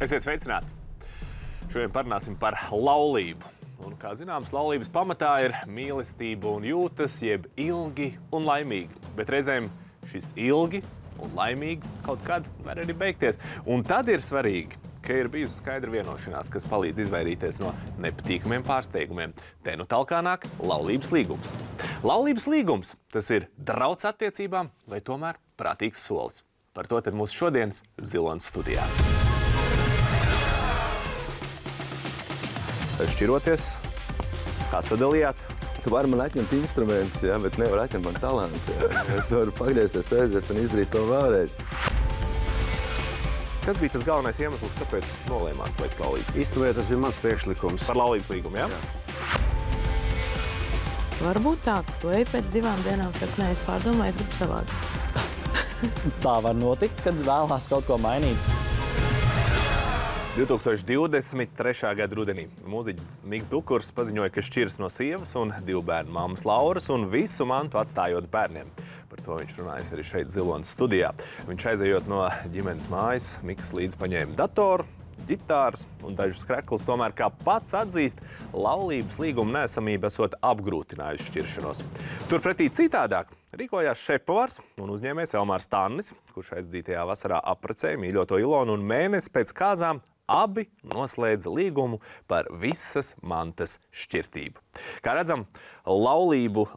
Esiet sveicināti! Šodien parunāsim par laulību. Un, kā zināms, laulības pamatā ir mīlestība un jūtas, jeb ilgi un laimīgi. Bet reizēm šis ilgi un laimīgi kaut kad var arī beigties. Un tad ir svarīgi, ka ir bijusi skaidra vienošanās, kas palīdz izvairīties no nepatīkamiem pārsteigumiem. Te nu talkā nāk laulības līgums. Laulības līgums – tas ir drauds attiecībām vai tomēr prātīgs solis. Par to tad mūsu šodienas Zilonas studijā. Šķiroties, kā sadalījāt? Tu vari man atņemt instrumentus, ja, bet nevar atņemt man talantu. Ja. Es varu pagriezties aiziet un izdarīt to vēlreiz. Kas bija tas galvenais iemesls, kāpēc nolēmāt slēgt laulības? Īstenībā tas bija mans priekšlikums. Par laulības līgumu, jā? Varbūt tā, ka tu ej pēc 2 dienām, saka, nē, es pārdomāju, es gribu savādi. Tā var notikt, kad vēlās kaut ko mainīt. 2023. gada rudenī mūziķis Miks Dukurs paziņoja, ka šķiras no sievas un 2 bērnu mammas Lauras un visu mantu atstājot bērniem. Par to viņš runājas arī šeit Zilonas studijā. Viņš aizejot no ģimenes mājas, Miks līdz paņēma datoru, ģitāras un dažus kreklus, tomēr, kā pats atzīst, laulības līguma neesamība esot apgrūtinājusi šķiršanos. Turpretī citādāk rīkojās šefpavārs un uzņēmējs Elmārs Tannis, kurš aizdītajā vasarā apprecēja mīļoto Ilonu un mēnesi pēc kāzām abi noslēdza līgumu par visas mantas šķirtību. Kā redzam, laulības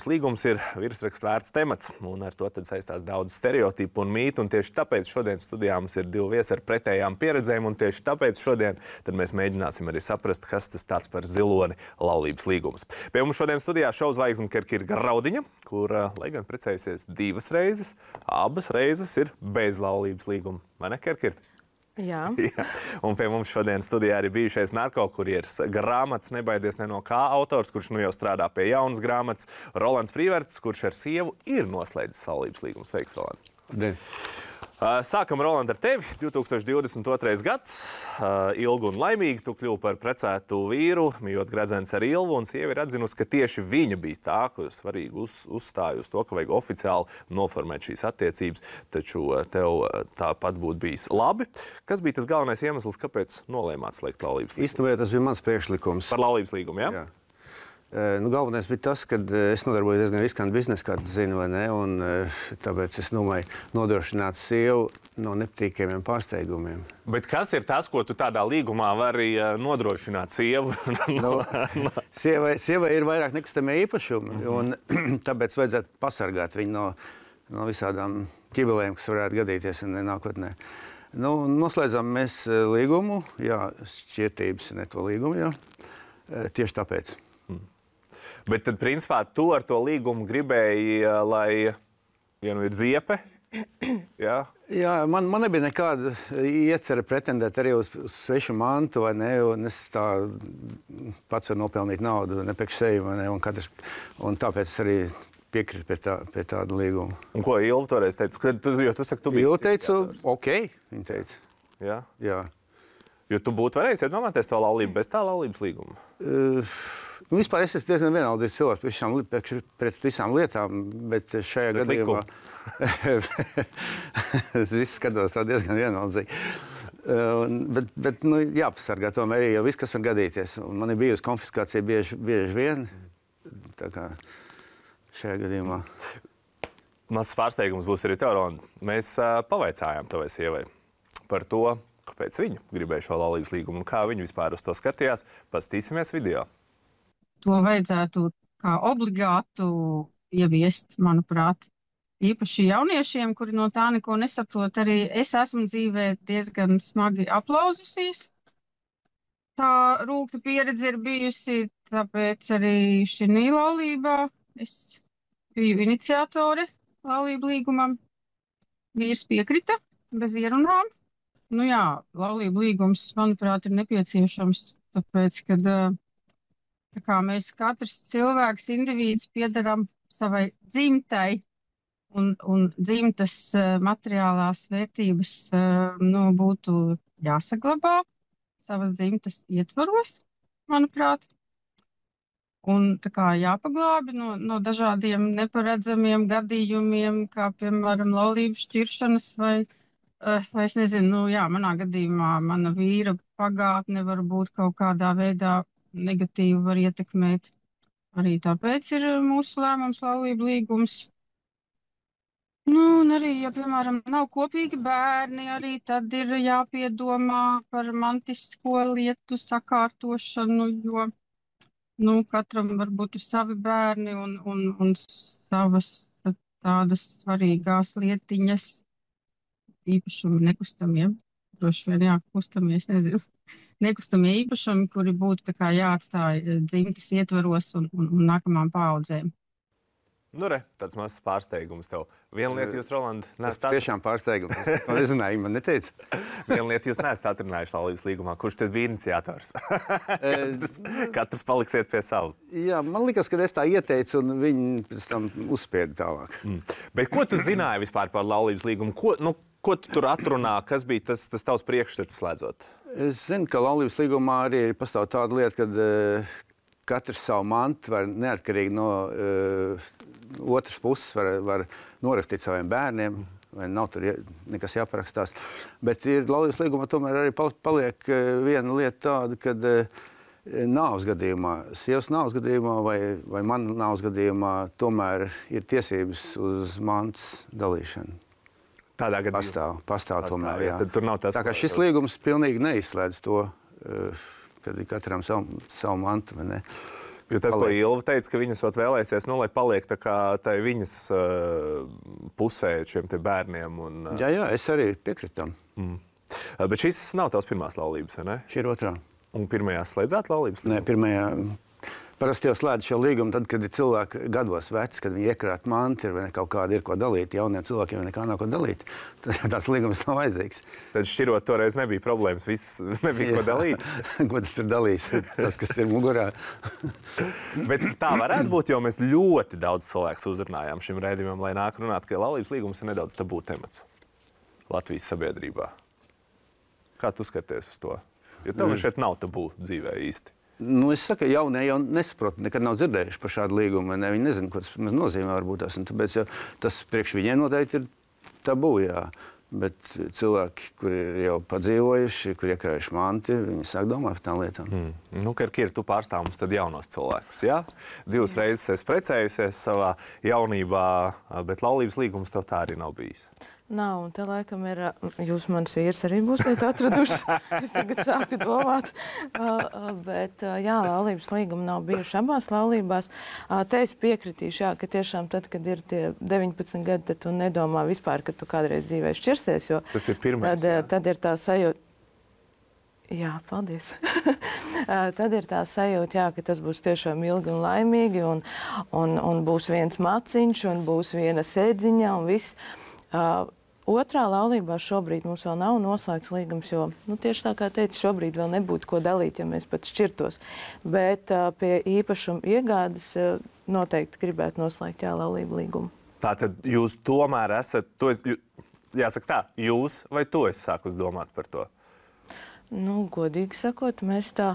līgums ir virsraksta vērts temats, un ar to tad saistās daudz stereotipu un mītu, un tieši tāpēc šodien studijā mums ir 2 viesi ar pretējām pieredzēm, un tieši tāpēc šodien tad mēs mēģināsim arī saprast, kas tas tāds par ziloni laulības līgums. Pie mums šodien studijā šovzvaigzne Kerkira Graudiņa, kur, lai gan precējusies 2 reizes, abas reizes ir bez laulības līguma. Vai ne, Kerkira? Jā. Jā. Un pie mums šodien studijā arī bijušais narkokurieris, grāmatas Nebaidies ne no kā autors, kurš nu jau strādā pie jaunas grāmatas, Rolands Prīverts, kurš ar sievu ir noslēdzis laulības līgumu. Sveiks, Roland! Sākam, Roland, ar tevi. 2022. gads, ilgi un laimīgi, tu kļuvi par precētu vīru, mījot gredzens ar Ilvu, un sieva ir atzinusi, ka tieši viņa bija tā, kur svarīgi uzstāja uz to, ka vajag oficiāli noformēt šīs attiecības, taču tev tāpat būtu bijis labi. Kas bija tas galvenais iemesls, kāpēc nolēmāt slēgt laulības līgumu? Īstenībā tas bija mans priekšlikums. Par laulības līgumu, jā? Jā. Galvenais bija tas, ka es nodarbojos diezgan riskantu biznesu, kā tu zini, vai ne, un tāpēc es domāju nodrošināt sievu no nepatīkamiem pārsteigumiem. Bet kas ir tas, ko tu tādā līgumā vari nodrošināt sievu? Sievai ir vairāk nekustamie īpašumi, un tāpēc vajadzētu pasargāt viņu no visādām ķibelēm, kas varētu gadīties nākotnē. Noslēdzām mēs līgumu, jā, šķirtības, ne to līgumu, jā, tieši tāpēc. Bet tad, principā, tu ar to līgumu gribēji, lai, ja nu ir ziepe, jā? Jā, man nebija nekāda iecerē pretendēt arī uz svešu mantu, vai ne, un es tā pats varu nopelnīt naudu, ne priekš sevi, vai ne, un tāpēc arī piekrīt pie tāda līguma. Un ko Ilva toreiz teica? Jo tu saki, tu biji... Ilva teica, ok, viņa teica. Jā? Jā. Jo tu būtu varējis iedomāties to laulību bez tā laulības līguma? Vispār es esmu diezgan vienaldzīgs cilvēks pret visām lietām, bet šajā gadījumā es visu skatos tā diezgan vienaldzīgi. Bet jāpasargā tomēr arī, jo viss, kas var gadīties. Un man ir bijusi konfiskācija bieži vien, tā kā šajā gadījumā. Mazs pārsteigums būs arī tev, Roland. Mēs pavaicājām tavai sievai par to, kāpēc viņa gribēja šo laulības līgumu un kā viņa vispār uz to skatījās. Paskatīsimies video. To vajadzētu kā obligātu ieviest, manuprāt. Īpaši jauniešiem, kuri no tā neko nesaprot, arī es esmu dzīvē diezgan smagi aplauzusies. Tā rūgta pieredze ir bijusi, tāpēc arī šī laulībā es biju iniciatore laulību līgumam. Vīrs piekrita bez ierunām. Jā, laulību līgums, manuprāt, ir nepieciešams, tāpēc, kad tā kā mēs katrs cilvēks, indivīds piedaram savai dzimtai un dzimtas materiālās vērtības būtu jāsaglabā savas dzimtas ietvaros, manuprāt. Un tā kā jāpaglābi no dažādiem neparedzamiem gadījumiem, kā piemēram laulību šķiršanas vai Es nezinu, manā gadījumā mana vīra pagātne varbūt kaut kādā veidā negatīvi var ietekmēt. Arī tāpēc ir mūsu lēmums laulību līgums. Un arī, ja, piemēram, nav kopīgi bērni, arī tad ir jāpiedomā par mantisko lietu sakārtošanu, jo, katram varbūt ir savi bērni un savas tādas svarīgās lietiņas, īpašumi nekustamie, droši vien, kustamie, es nezinu, nekustamie īpašumi, kuri būtu tā kā jāatstāj dzimtes ietvaros un nākamām paaudzēm. Tāds mazs pārsteigums tev. Viena lieta jūs, Roland, nesat... Tas tiešām pārsteigums. Es to nezināju, man neteica. Viena lieta jūs nesat atrunājuši laulības līgumā. Kurš tad bija iniciators? katrs paliksiet pie savu. Jā, man liekas, ka es tā ieteicu, un viņi pēc tam uzspieda tālāk. Bet ko tu zināji vispār par laulības līgumu? Ko tu tur atrunā? Kas bija tas tavs priekšstats slēdzot? Es zinu, ka laulības līgumā arī pastāv tāda lieta, kad katrs savu mantu var neatkarīgi no otras puses var norakstīt saviem bērniem, vai nav tur nekas jāparakstās. Bet laulības līgumā tomēr arī paliek viena lieta tāda, kad nāves gadījumā, sievas nāves gadījumā vai mana nāves gadījumā tomēr ir tiesības uz mantas dalīšanu. Tādā gadījumā? Pastāv tomēr, jā. Tad tur nav tas, tā kā šis līgums pilnīgi neizslēdz to, kad ir katram savu mantu, vai ne? Jo tas, ko Ilva teica, ka viņas vēlēsies, lai paliek tā kā tai viņas pusē šiem te bērniem. Jā, es arī piekrītu tam. Bet šis nav tavs pirmās laulības, vai ne? Šī ir otrā. Un pirmajā slēdzāt laulības? Nē, pirmajā. Parasti jau slēdz šo līgumu tad, kad ir cilvēki gados veci, kad viņi iekrāt manti, vai kaut kāda ir ko dalīt. Jauniem cilvēkiem nekā nav ko dalīt. Tāds līgums nav vajadzīgs. Tad šķirot toreiz nebija problēmas, viss nebija ko dalīt. Ko tad tur dalīs? Tas, kas ir mugurā. Bet tā varētu būt, jo mēs ļoti daudz cilvēkus uzrunājām šim raidījumam, lai nāk runāt, ka laulības līgums ir nedaudz tabū temats Latvijas sabiedrībā. Kā tu skaties uz to? Jo tev šeit nav tabū dzīvē īsti. Es saku, jaunie jau nesaprotu, nekad nav dzirdējuši par šādu līgumu. Viņi nezinu, ko tas nozīmē varbūt tas. Un tāpēc tas priekš viņiem noteikti ir tabū, jā. Bet cilvēki, kuri ir jau padzīvojuši, kuri iekrājuši manti, viņi sāk domāt par tām lietām. Kira, tu pārstāv mums tad jaunos cilvēkus, jā? 2 reizes esi precējusies savā jaunībā, bet laulības līgums tev tā arī nav bijis. Nav, un te laikam ir, jūs mans vīrs arī būsiet atraduši. Es tagad sāku domāt. Bet, laulības līguma nav bijuši abās laulībās. Te es piekritīšu, ka tiešām tad, kad ir tie 19 gadi, tad tu nedomā vispār, ka tu kādreiz dzīvē šķirsies, jo tas ir pirmais, tad ir tā sajūta. Jā, paldies. Tad ir tā sajūta, ka tas būs tiešām ilgi un laimīgi, un būs viens maciņš, un būs viena sēdziņa, un viss. Otrā laulībā šobrīd mums vēl nav noslēgts līgums, jo, tieši tā kā teicu, šobrīd vēl nebūtu ko dalīt, ja mēs pat šķirtos. Bet pie īpašuma iegādes noteikti gribētu noslēgt laulību līgumu. Tātad jūs tomēr esat, jāsaka tā, jūs vai tu esi sākus domāt par to? Godīgi sakot, mēs tā,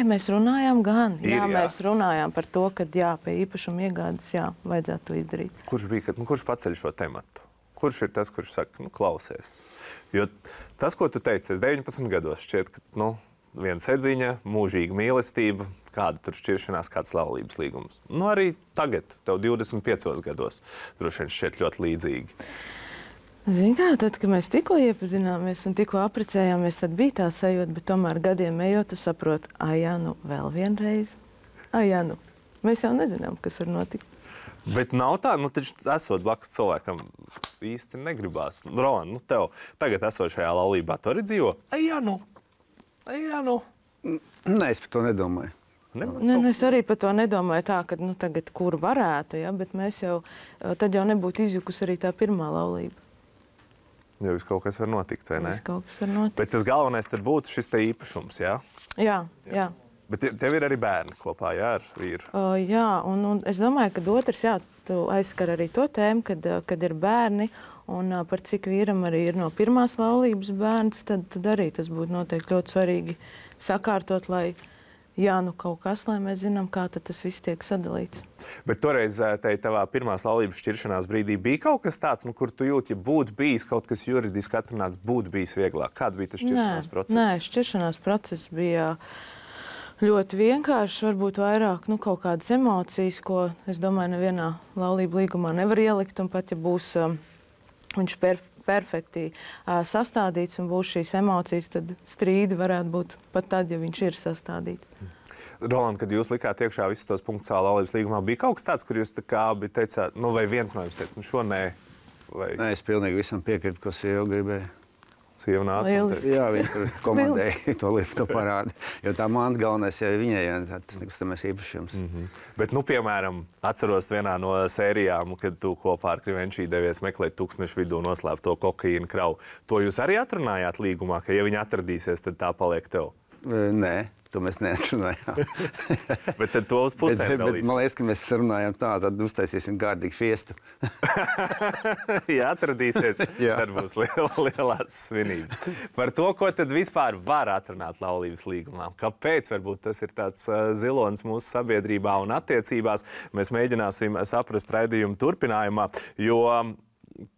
mēs runājām gan. Mēs runājām par to, ka pie īpašuma iegādes, vajadzētu to izdarīt. Kurš paceļ šo tematu? Kurš ir tas, kurš saka, klausies? Jo tas, ko tu teici, es 19 gados šķiet, ka, viena sedziņa, mūžīga mīlestība, kāda tur šķiršanās, kāds laulības līgums. Arī tagad, tev 25 gados, droši vien šķiet ļoti līdzīgi. Zini kā, tad, kad mēs tikko iepazināmies un tikko aprecējāmies, tad bija tā sajūta, bet tomēr gadiem ejot, tu saproti, vēl vienreiz. Mēs jau nezinām, kas var notikt. Bet nav tā, taču esot blakus cilvēkam īsti negribās. Roland, tev tagad esot šajā laulībā, tu arī dzīvo? Nē, es par to nedomāju. Es arī par to nedomāju tā, ka tagad kur varētu, bet mēs jau, tad jau nebūtu izjukus arī tā pirmā laulība. Jo viss kaut kas var notikt, vai ne? Viss kaut kas var notikt. Bet tas galvenais tad būtu šis te īpašums, jā? Jā. Bet tev ir arī bērni kopā, ar vīru? Jā, un es domāju, ka otrs, tu aizskar arī to tēmu, kad ir bērni, un par cik vīram arī ir no pirmās laulības bērns, tad arī tas būtu noteikti ļoti svarīgi sakārtot, lai jā, nu kaut kas, lai mēs zinām, kā tad tas viss tiek sadalīts. Bet toreiz tavā pirmās laulības šķiršanās brīdī bija kaut kas tāds, kur tu jūti, ja būtu bijis kaut kas juridiski atrunāts, būtu bijis vieglāk. Kāda bija tas šķiršanās process? Nē, šķiršanās process bija ļoti vienkāršs, varbūt vairāk kaut kādas emocijas, ko, es domāju, nevienā laulību līgumā nevar ielikt, un pat, ja būs viņš perfekti sastādīts un būs šīs emocijas, tad strīdi varētu būt pat tad, ja viņš ir sastādīts. Roland, kad jūs likāt iekšā visus tos punktus savā laulības līgumā, bija kaut kas tāds, kur jūs tā kā teicāt, vai viens no jums teica, šo nē? Vai... Nē, es pilnīgi visam piekrītu, ko sieva gribēja. Sieva nāca un teica. Jā, viņa tur komandēja to parādu. Jo tā manta galvenais jau viņai, tas nekustamais īpašums. Bet, piemēram, atceros vienā no sērijām, kad tu kopā ar Krivenčī devies meklēt tūkstnešu vidū noslēpto kokaīnu kravu. To jūs arī atrunājāt līgumā, ka ja viņi atradīsies, tad tā paliek tev? Nē. To mēs neatrunājām. Bet tad to uz pusēm dalīs. Man liekas, ka mēs runājam tā, tad uztaisīsim kārtīgi fiestu. Ja atradīsies, tad būs lielās svinības. Par to, ko tad vispār var atrunāt laulības līgumā. Kāpēc varbūt tas ir tāds zilonis mūsu sabiedrībā un attiecībās, mēs mēģināsim saprast raidījumu turpinājumā, jo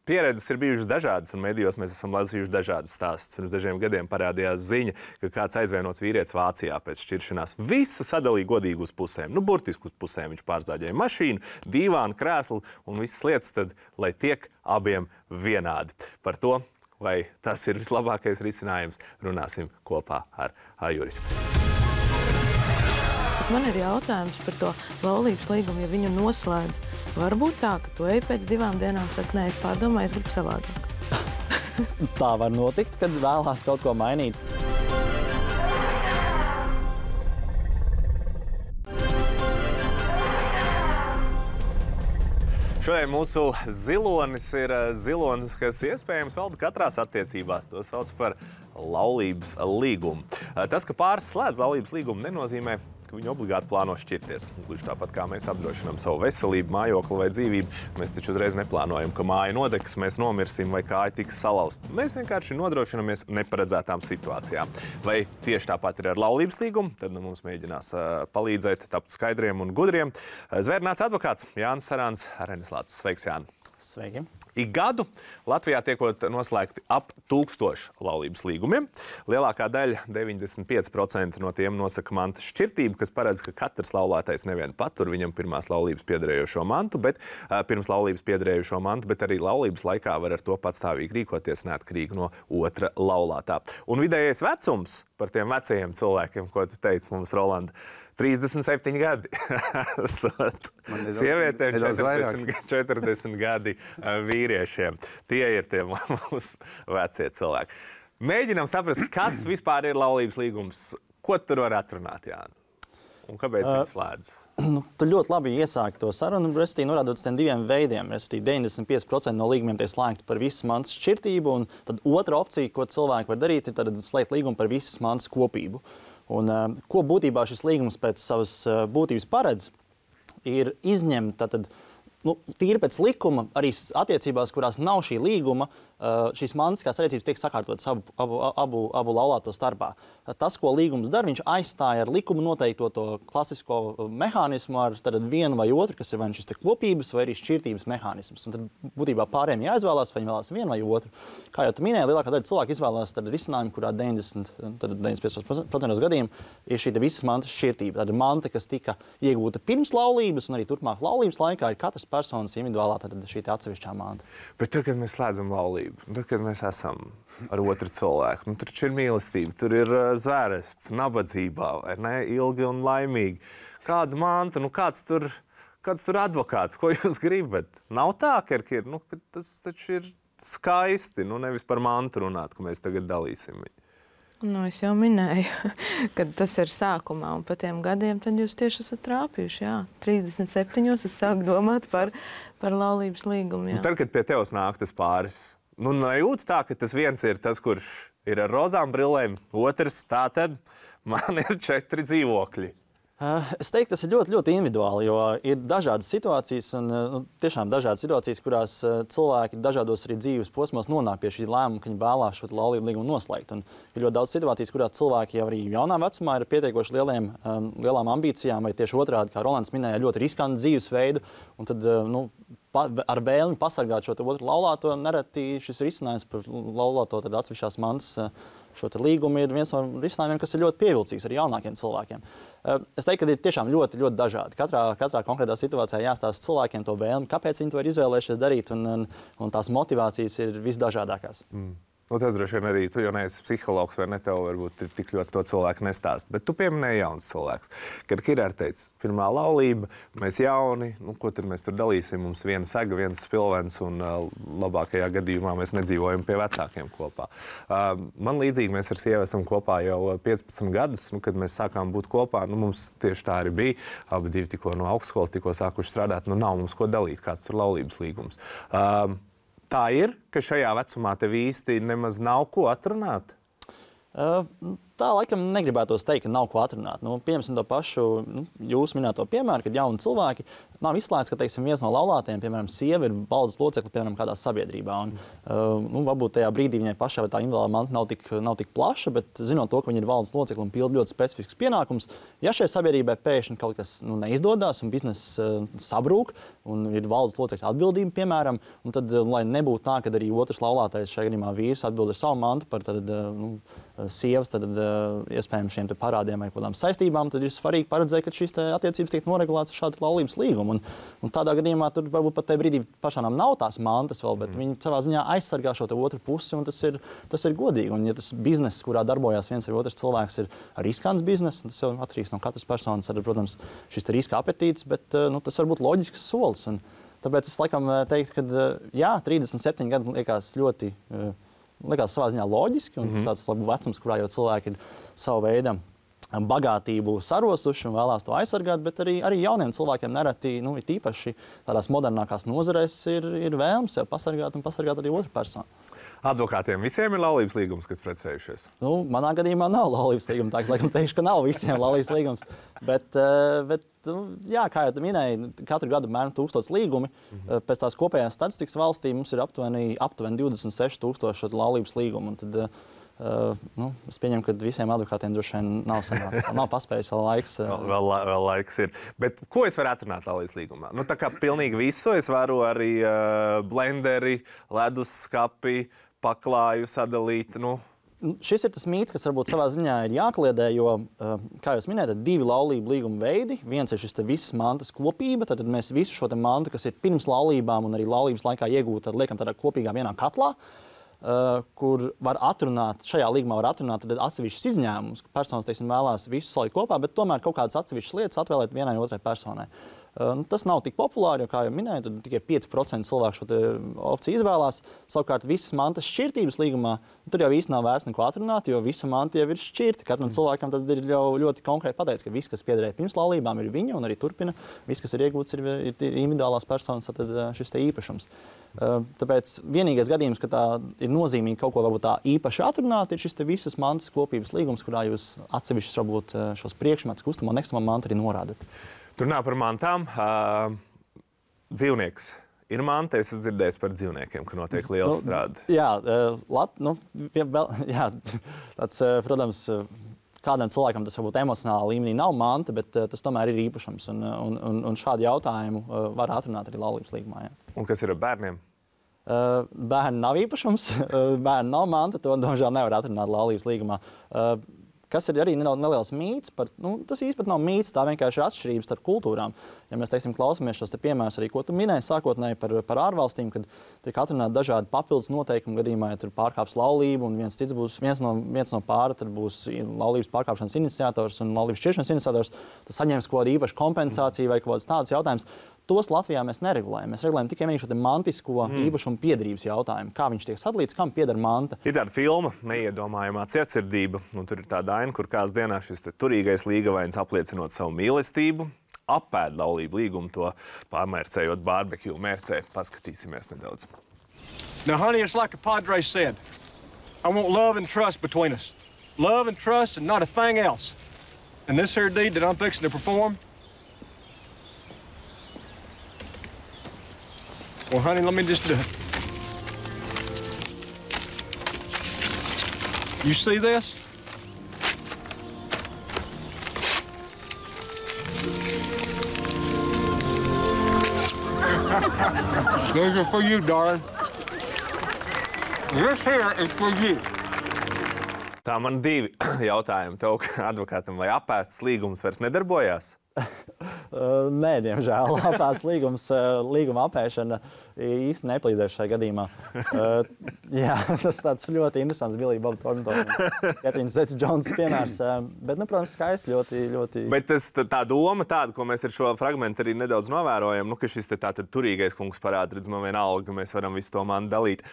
pieredzes ir bijušas dažādas, un medijos mēs esam lasījuši dažādas stāstus. Pirms dažiem gadiem parādījās ziņa, ka kāds aizvienots vīrietis Vācijā pēc šķiršanās visu sadalīja godīgi uz pusēm. Burtiski uz pusēm viņš pārzāģēja mašīnu, dīvānu, krēslu un visas lietas, tad, lai tiek abiem vienādi. Par to, vai tas ir vislabākais risinājums, runāsim kopā ar juristu. Man ir jautājums par to laulības līgumu, ja viņu noslēdz. Varbūt tā, ka tu ej pēc 2 dienām, saka, nē, es pārdomāju, es gribu savādāk. Tā var notikt, kad vēlās kaut ko mainīt. Šodien mūsu zilonis ir zilonis, kas iespējams valda katrās attiecībās. To sauc par laulības līgumu. Tas, ka pāris slēdz laulības līgumu, nenozīmē, ka viņi obligāti plāno šķirties. Gluži tāpat kā mēs apdrošinām savu veselību, mājokli vai dzīvību, mēs taču uzreiz neplānojam, ka māja nodegs, mēs nomirsim vai kāja tiks salauzt. Mēs vienkārši nodrošinamies neparedzētām situācijām. Vai tieši tāpat ir ar laulības līgumu, tad mums mēģinās palīdzēt tapt skaidriem un gudriem. Zvērnāts advokāts Jānis Sarāns, Arenes Lācis. Sveiks, Jāni! Sveiki! Ik gadu Latvijā tiekot noslēgti ap 1000 laulības līgumiem. Lielākā daļa, 95% no tiem nosaka mantas šķirtību, kas paredz, ka katrs laulātais nevien patur viņam pirmās laulības piederējošo mantu, bet pirms laulības piederējošo mantu, bet arī laulības laikā var ar to patstāvīgi rīkoties neatkarīgi no otra laulātā. Un vidējais vecums par tiem vecajiem cilvēkiem, ko tu teici mums, Rolanda, 37 gadi. Sievietēm 40 gadi vīriešiem. Tie ir tie mūsu vecie cilvēki. Mēģinām saprast, kas vispār ir laulības līgums. Ko tur var atrunāt, Jāni? Un kāpēc viņi slēdz? Tu ļoti labi iesāki to sarunu, respektīvi norādot uz tiem 2 veidiem. Respektīvi 95% no līgumiem tiek slēgti par visas mantas šķirtību, un tad otra opcija, ko cilvēki var darīt, ir tad slēgt līgumu par visas mantas kopību. Un, ko būtībā šis līgums pēc savas būtības paredz, ir izņemt tīri pēc likuma arī attiecībās, kurās nav šī līguma, šīs mantiskās attiecības tiek sakārtotas abu laulāto starpā. Tas, ko līgums dara, viņš aizstāja ar likumu noteikto to klasisko mehānismu ar vienu vai otru, kas ir vai šis kopības vai arī šķirtības mehānisms. Un tad būtībā pārējiem jāizvēlās, vai viņi vēlās vienu vai otru. Kā jau tu minēji, lielākā daļa cilvēku izvēlās risinājumu, kurā 95% gadījumā ir šī visas mantas šķirtība. Tāda manta, kas tika iegūta pirms laulības un arī turpmāk laulības laikā, ir katras personas individuālā šī atsevišķā manta. Bet tad, kad mēs slēdzam laulību, tad, kad mēs esam ar otru cilvēku, tur ir mīlestība, tur ir zvērests, nabadzībā, vai ne, ilgi un laimīgi. Kāda manta, kāds tur advokāts, ko jūs gribat? Nav tā, ka tas taču ir skaisti, nevis par mantu runāt, ka mēs tagad dalīsim viņu. Es jau minēju, ka tas ir sākumā, un pa tiem gadiem tad jūs tieši esat trāpījuši. Jā. 37. es sāku domāt par laulības līgumu. Jā. Tad, kad pie tevis nāk tas pāris, nejūt tā, ka tas viens ir tas, kurš ir ar rozām brillēm, otrs tā tad man ir 4 dzīvokļi. Es teiktu, tas ir ļoti, ļoti individuāli, jo ir dažādas situācijas, un tiešām dažādas situācijas, kurās cilvēki dažādos arī dzīves posmos nonāk pie šī lēmuma, ka viņi vēlās šo laulību līgumu noslēgt. Un ir ļoti daudz situācijas, kurās cilvēki jau arī jaunā vecumā ir pietiekoši lielām ambīcijām, vai tieši otrādi, kā Rolands minēja, ļoti riskantu dzīvesveidu, un tad ar vēlmi pasargāt šo otru laulāto, nereti šis risinājums par laulāto tad atsevišķās mantas šo līgumu ir viens no risinājumiem, kas ir ļoti pievilcīgs arī jaunākiem cilvēkiem. Es teiktu, ka ir tiešām ļoti, ļoti dažādi. Katrā konkrētā situācijā jāstāsta cilvēkiem to vēlmi, kāpēc viņi to ir izvēlējušies darīt, un tās motivācijas ir visdažādākās. Tas droši vien arī tu jau neesi psihologs, vai ne? Tev varbūt tik ļoti to cilvēku nestāst. Bet tu pieminēji jauns cilvēks. Kad Kirārs teica, pirmā laulība, mēs jauni, ko tad mēs tur dalīsim? Mums viena saga, viens spilvens, un labākajā gadījumā mēs nedzīvojam pie vecākiem kopā. Man līdzīgi mēs ar sievu esam kopā jau 15 gadus, kad mēs sākām būt kopā. Mums tieši tā arī bija. Abi divi tikko no augstskolas, tikko sākuši strādāt. Nav mums ko dalīt, kāds tur laulības līgums. Tā ir, ka šajā vecumā tev īsti nemaz nav ko atrunāt? Tā laikam negribētos teikt, ka nav ko atrunāt. Pieņemsim to pašu jūsu minēto piemēru, kad jauni cilvēki nav izslēgts, ka viens no laulātajiem, piemēram, sieva ir valdes locekle, piemēram, kādā sabiedrībā. Varbūt tajā brīdī viņai pašai tā individuālā manta nav tik plaša, bet zinot to, ka viņa ir valdes locekle un pilda ļoti specifiskus pienākumus, ja šai sabiedrībai pēkšņi kaut kas neizdodas un bizness sabrūk un ir valdes locekļa atbildība, piemēram, un tad, lai nebūtu tā, ka arī otrs laulātais, šajā gadījumā vīrs, atbild ar savu mantu par sievas iespējams šiem parādiem vai kādām saistībām, tad ir svarīgi paredzēt, ka šīs attiecības tiek noregulētas ar šādu laulības līgumu. Un tādā gadījumā tur varbūt pat tajā brīdī personām nav tās mantas vēl, bet viņi savā ziņā aizsargā šo otru pusi, un tas ir godīgi. Un ja tas bizness, kurā darbojās viens vai otrs cilvēks, ir riskants bizness, tas jau atkarīgs no katras personas, arī, protams, šis riska apetīts, bet tas var būt loģisks solis. Un tāpēc es laikam teiktu, ka jā, 37 gadi liekas ļoti likās savā ziņā loģiski, un tas tāds vecums, kurā jau cilvēki ir savu veidu bagātību sarosuši un vēlās to aizsargāt, bet arī jauniem cilvēkiem nereti, it īpaši tādās modernākās nozarēs, ir vēlms sev pasargāt un pasargāt arī otru personu. Advokātiem visiem ir laulības līgums, kas precējušies? Manā gadījumā nav laulības līguma, tā laikam teikšu, ka nav visiem laulības līgums. Bet jā, kā jau minēji, katru gadu mēram 1000 līgumi. Pēc tās kopējās statistikas valstī mums ir aptuveni 26,000 laulības līgumu. Un tad, es pieņemu, ka visiem advokātiem droši vien nav sanācis. Nav paspējis vēl laiks. Vēl laiks ir. Bet ko es varu atrunāt laulības līgumā? Tā kā pilnīgi visu. Es varu arī blenderi, leduskapi, paklāju sadalīt. Šis ir tas mīts, kas varbūt savā ziņā ir jākliedē, jo, kā jūs minējat, 2 laulību līguma veidi. Viens ir šis visas mantas kopība, tad mēs visu šo mantu, kas ir pirms laulībām un arī laulības laikā iegūta, liekam tādā kopīgā vienā katlā, kur var atrunāt, šajā līgumā var atrunāt atsevišķus izņēmumus, ka personas, vēlās visu salikt kopā, bet tomēr kaut kādas atsevišķas lietas atvēlēt vienai otrai personai. Tas nav tik populāri, jo, kā jau minēju, tad tikai 5% cilvēku šo opciju izvēlās. Savukārt visas mantas šķirtības līgumā, tur jau īsti nav vērts neko atrunāt, jo visa manta jau ir šķirta. Katram cilvēkam tad ir jau ļoti konkrēti pateikts, ka viss, kas piederēja pirms laulībām, ir viņa un arī turpina. Viss, kas ir iegūts, ir individuālās personas, tad šis īpašums. Tāpēc vienīgais gadījums, ka tā ir nozīmīgi kaut ko varbūt tā īpaši atrunāt, ir šis visas mantas kopības līgums, kurā jūs atsevišķus varbūt šos priekšmetus, kustamo un nekustamo mantu arī norādat. Tur nav par mantām. Dzīvnieks ir manta. Es esmu dzirdējis par dzīvniekiem, ka notiek liela strāde. Jā, tāds, protams, kādam cilvēkam tas varbūt emocionālā līmenī nav manta, bet tas tomēr ir īpašums. Un šādu jautājumu var atrunāt arī laulības līgumā. Jā. Un kas ir ar bērniem? Bērni nav īpašums, bērni nav manta, to domāju nevar atrunāt laulības līgumā. Kas ir arī neliels mīts, tas īstenībā nav mīts, tā vienkārši ir atšķirības starp kultūrām. Ja mēs, klausamies šos piemērus arī, ko tu minēji sākotnēji par ārvalstīm, kad tiek atrunāti dažādi papildus noteikumi gadījumā, ja tur pārkāps laulību un viens no pāra tad būs laulības pārkāpšanas iniciators un laulības šķiršanas iniciators, tas saņems kaut kādu īpašu kompensāciju vai kaut kādas tādas jautājumus. Tos Latvijā mēs neregulējam. Mēs regulējam tikai šo mantisko īpašumu piederības jautājumu. Kā viņš tiek sadalīts, kam pieder manta. Ir tāda filma, Neiedomājamā cietsirdība, un tur ir tāda aina, kur kāds dienā šis turīgais līgavains apliecinot savu mīlestību, apēd laulību līgumu, to pārmērcējot barbekju mērcē. Paskatīsimies nedaudz. Now, honey, it's like a padre said. I want love and trust between us. Love and trust and not a thing else. And this here deed that I'm fixing to perform? Well, honey, let me just do it. You see this? These are for you, darling. This here is for you. Tā man divi jautājumi tev, advokātam, vai apēsts līgums vairs nedarbojās? Nē, diemžēl apēsts līguma apēšana īsti nepalīdzēs šajā gadījumā. Jā, tas tāds ļoti interesants Billy Bob Thornton un Katrīnas Zeta-Jones piemērs. Bet, protams, skaisti ļoti. Bet tā doma tāda, ko mēs ar šo fragmentu arī nedaudz novērojam, ka šis tātad turīgais kungs parāda, redz, man vienalga, mēs varam visu to mani dalīt.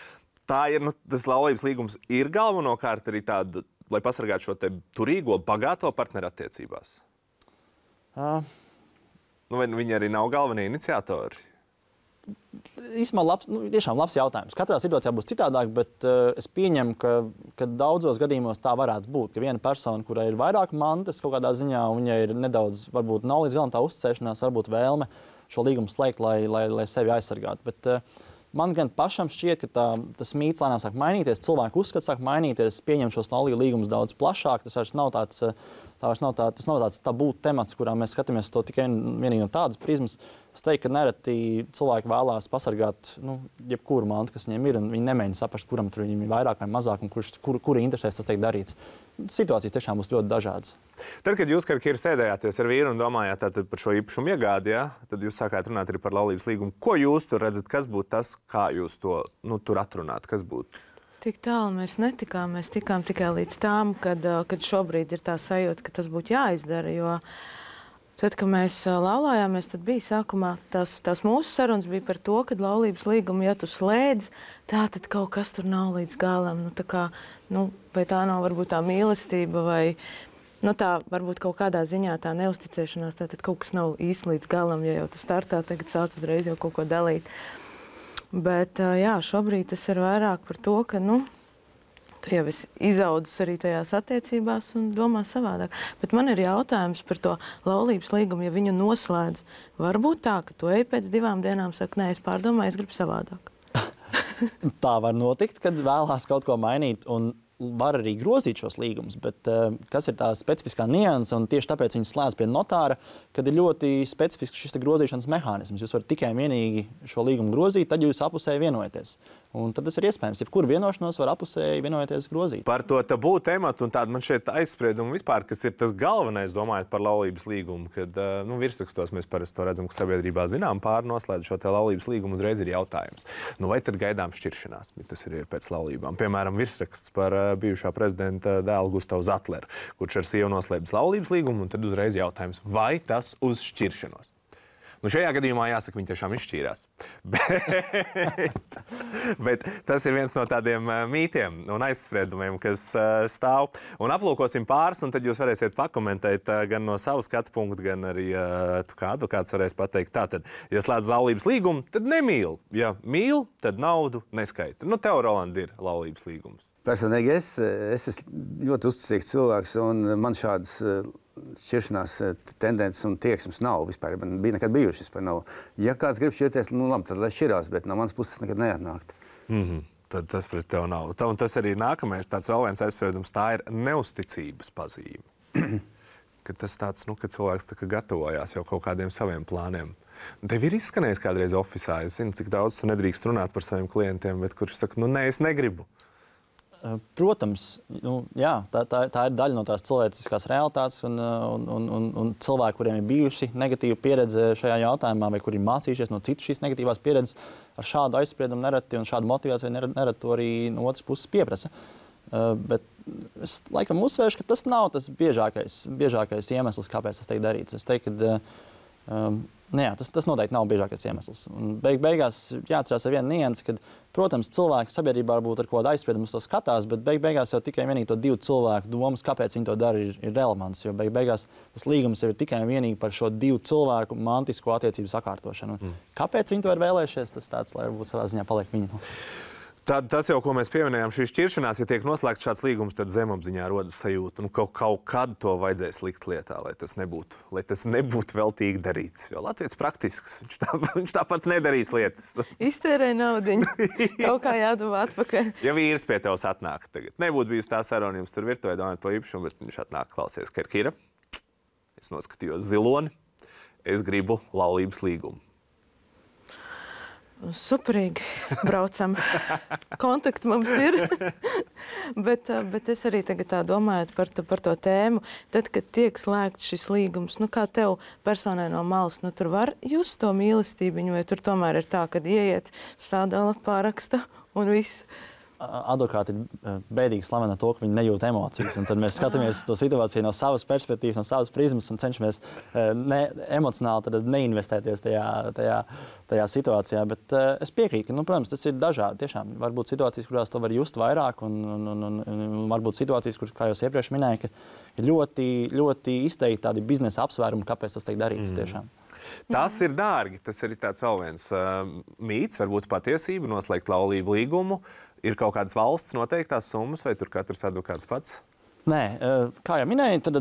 Tā ir, tas laulības līgums ir galvenokārt arī tāda, lai pasargātu šo te turīgo, bagāto partneru attiecībās? Vai viņi arī nav galvenie iniciatori? Īsumā tiešām labs jautājums. Katrā situācijā būs citādāk, bet es pieņemu, ka daudzos gadījumos tā varētu būt. Ka viena persona, kurai ir vairāk mantas kaut kādā ziņā, un viņai ir nedaudz, varbūt nav līdz galam tā uzticēšanās, varbūt vēlme šo līgumu slēgt, lai sevi aizsargātu. Bet man gan pašam šķiet, ka tas mīts lēnām sāk mainīties, cilvēku uzskats sāk mainīties, pieņem šos laulību līgumus daudz plašāk. Tas vairs nav tāds tabū temats, kurā mēs skatāmies to tikai vienīgi no tādas prizmas. Es teiktu, ka nereti cilvēki vēlās pasargāt jebkuru mantu, kas viņiem ir, un viņi nemēģina saprast, kuram tur viņiem ir vairāk vai mazāk, un kura interesēs tas tiek darīts. Situācijas tiešām būs ļoti dažādas. Tad, kad jūs, Kira, sēdējāties ar vīru un domājāt par šo īpašumu iegādi, tad jūs sākāt runāt arī par laulības līgumu. Ko jūs tur redzat, kas būtu tas, kā jūs to tur atrunāt, kas būtu? Tik tālu mēs netikām. Mēs tikām tikai līdz tām, kad šobrīd ir tā sajūta, ka tas būtu jāizdara. Jo tad, kad mēs laulājāmies, tad bija sākumā tās mūsu sarunas bija par to, ka laulības līgumu, ja tu slēdz, tā tad kaut kas tur nav līdz galam. Vai tā nav varbūt tā mīlestība, vai tā varbūt kaut kādā ziņā tā neusticēšanās, tad kaut kas nav īsti līdz galam, ja jau tas startā tagad sāc uzreiz jau kaut ko dalīt. Bet jā, šobrīd tas ir vairāk par to, ka tu jau esi izaudzis arī tajās attiecībās un domā savādāk. Bet man ir jautājums par to laulības līgumu, ja viņu noslēdz. Varbūt tā, ka tu ej pēc 2 dienām, saka, nē, es pārdomāju, es gribu savādāk. Tā var notikt, kad vēlās kaut ko mainīt un var arī grozīt šos līgumus, bet kas ir tā specifiskā nianse, un tieši tāpēc viņi slēdz pie notāra, kad ir ļoti specifisks šis grozīšanas mehānisms. Jūs varat tikai un vienīgi šo līgumu grozīt, tad jūs apusēji vienojaties. Un tad tas ir iespējams. Jebkuru vienošanos var apusēji vienojoties grozīt. Par to tabū tematu un tādu man šeit aizspriedumu vispār, kas ir tas galvenais, domājot par laulības līgumu, kad virsrakstos mēs parasti to redzam, ka sabiedrībā zinām pārnoslēdz šo te laulības līgumu, uzreiz ir jautājums. Vai tad gaidām šķiršanās? Tas ir pēc laulībām. Piemēram, virsraksts par bijušā prezidenta dēlu Gustavu Zatleru, kurš ar sievu noslēdz laulības līgumu, un tad uzreiz jautājums, vai tas uz šķiršanos? Šajā gadījumā jāsaka, viņi tiešām izšķīrās. Bet tas ir viens no tādiem mītiem un aizspriedumiem, kas stāv. Un aplūkosim pāris, un tad jūs varēsiet pakomentēt gan no savas skatu punkta, gan arī tu kā advokāts varēs pateikt. Tātad, ja slēdz laulības līgumu, tad nemīl. Ja mīl, tad naudu neskaita. Tev, Roland, ir laulības līgums. Personīgi es esmu ļoti uzticīgs cilvēks, un man šādas šķiršanās tendences un tieksmes nav vispār. Man bija nekad bijušas vispār nav. Ja kāds grib šķirties, labi, tad lai šķirās, bet no manas puses nekad neatnākt. Tad tas pret tev nav. Un tas arī nākamais tāds vēl viens aizspriedums, tā ir neusticības pazīme. Ka tas tāds, ka cilvēks tā kā gatavojās jau kaut kādiem saviem plāniem. Tev ir izskanējis kādreiz ofisā, es zinu, cik daudz tu nedrīkst runāt par saviem klientiem, bet kurš saka, nē, es negribu. Protams, jā, tā ir daļa no tās cilvēciskās realitātes un cilvēki, kuriem ir bijuši negatīva pieredze šajā jautājumā vai kuri ir mācījušies no citu šīs negatīvās pieredzes, ar šādu aizspriedumu nereti un šādu motivāciju nereti to arī no otras puses pieprasa. Bet es laikam uzsvēršu, ka tas nav tas biežākais iemesls, kāpēc tas tiek darīts. Es teiktu, ka tas noteikti nav biežākais iemesls. Un beigās jāatcerās ar vienu niansi, ka, protams, cilvēki sabiedrībā varbūt ar kādu aizspriedumu to skatās, bet beigās jau tikai vienīgi to 2 cilvēku domas, kāpēc viņi to dara, ir relevants. Jo beigās tas līgums ir tikai un vienīgi par šo 2 cilvēku mantisko attiecību sakārtošanu. Kāpēc viņi to ir vēlējušies, tas tāds, lai varbūt savā ziņā paliek viņu. Tad tas jau, ko mēs pieminējām, šī šķiršanās, ja tiek noslēgts šāds līgums, tad zemapziņā rodas sajūta, kaut kad to vajadzēs likt lietā, lai tas nebūtu veltīgi darīts. Jo Latvijas praktisks, viņš tāpat nedarīs lietas. Iztērē naudiņu, kaut kā jādomā atpakaļ. Ja vīrs pie tevs atnāk tagad, nebūtu bijusi tā saruna, jums tur virtuvē domājot par īpašumu, bet viņš atnāk klausies, ka ir Kira. Es noskatījos ziloni, es gribu laulības līgumu. Superīgi braucam. Kontakti mums ir. bet es arī tagad tā domāju par to tēmu. Tad, kad tiek slēgts šis līgums, kā tev personai no malas, tur var just to mīlestībiņu, vai tur tomēr ir tā, kad ieiet, sadala, paraksta un viss? Advokāti ir bēdīgi slaveni ar to, ka viņi nejūt emocijas. Un tad mēs skatāmies to situāciju no savas perspektīvas, no savas prizmas un cenšamies emocionāli neinvestēties tajā situācijā. Bet es piekrītu, ka, protams, tas ir dažādi. Tiešām var būt situācijas, kurās to var just vairāk, un var būt situācijas, kur, kā jau iepriekš minēju, ka ir ļoti, ļoti izteikti tādi biznesa apsvērumi, kāpēc tas tiek darīts tiešām. Tas ir dārgi. Tas ir tāds vēl viens mīts, varbūt patiesība, noslēgt laulību līgumu. Ir kaut kādas valsts noteiktās summas, vai tur katrs advokāts pats? Nē, kā jau minēju, tad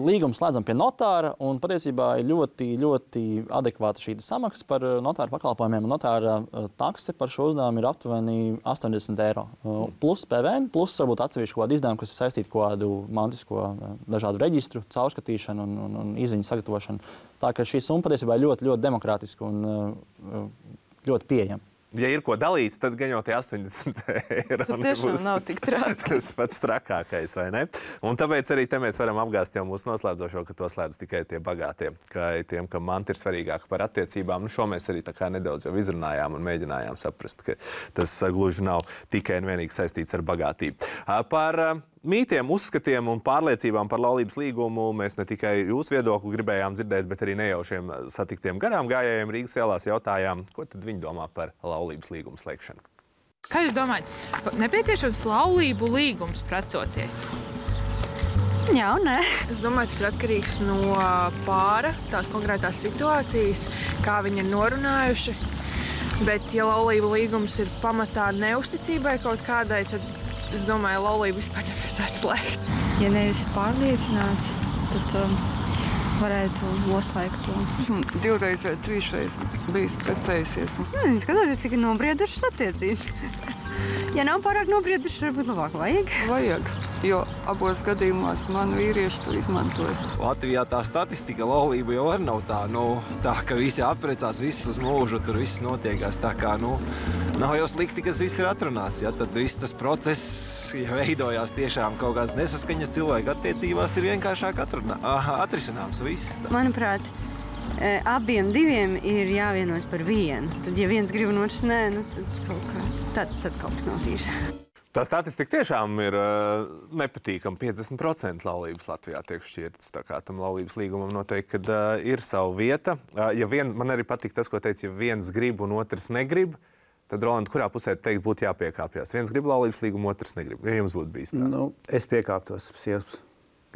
līgumu slēdzam pie notāra, un patiesībā ir ļoti, ļoti adekvāta šī samaksa par notāra pakalpojumiem. Notāra takse par šo uzdevumu ir aptuveni 80 eiro. Plus PVN, plus varbūt atsevišķi kādu izdevumu, kas ir saistīti kādu mantisko dažādu reģistru, caurskatīšanu un izziņu sagatavošanu. Tā ka šī summa patiesībā ir ļoti, ļoti demokrātiska un ļoti pieejama. Ja ir ko dalīt, tad gan jau tie 80 eiro nebūs nav tik traki. Tas pats trakākais, vai ne? Un tāpēc arī te mēs varam apgāzt jau mūsu noslēdzošo, ka to slēdz tikai tie bagātie, kā tiem, kam manti ir svarīgāka par attiecībām. Šo mēs arī tā kā nedaudz jau izrunājām un mēģinājām saprast, ka tas gluži nav tikai un vienīgi saistīts ar bagātību. Par mītiem, uzskatiem un pārliecībām par laulības līgumu mēs ne tikai jūsu viedokli gribējām dzirdēt, bet arī nejaušiem satiktiem garām gājējiem Rīgas ielās jautājām, ko tad viņi domā par laulības līgumu slēgšanu. Kā jūs domājat, nepieciešams laulību līgums precoties? Jā un nē. Es domāju, tas ir atkarīgs no pāra, tās konkrētās situācijas, kā viņi ir norunājuši. Bet, ja laulību līgums ir pamatā neusticībai kaut kādai, tad es domāju, laulību vispār nevajadzētu slēgt. Ja neesi pārliecināts, tad varētu noslēgt to. Esmu 2 vai 3 bijis precējusies. Skatoties, cik ir nobriedušas attiecības. Ja nav pārāk nobriedušas, varbūt labāk vajag. Vajag, jo abos gadījumos man vīrieši to izmantoja. Latvijā tā statistika laulība jau var nav tā, tā, ka visi apprecās, viss uz mūžu, tur viss notiekās. Tā kā, nav jau slikti, kas viss ir atrunāts. Ja? Tad viss tas process, ja veidojās tiešām kaut kādas nesaskaņas cilvēku attiecībās, ir vienkāršāk atrisināms viss. Manuprāt, abiem diviem ir jāvienojas par vienu. Tad, ja viens grib un otrs nē, tad kaut kas nav tīrs. Tā statistika tiešām ir nepatīkama. 50% laulības Latvijā tiek šķirtas. Tā kā tam laulības līgumam noteikti, kad ir sava vieta. Man arī patīk tas, ko teica, ja viens grib un otrs negrib, tad, Roland, kurā pusē teikt būtu jāpiekāpjas? Viens grib laulības līgumu, otrs negrib. Ja jums būtu bijis tā? Es piekāptos sievas.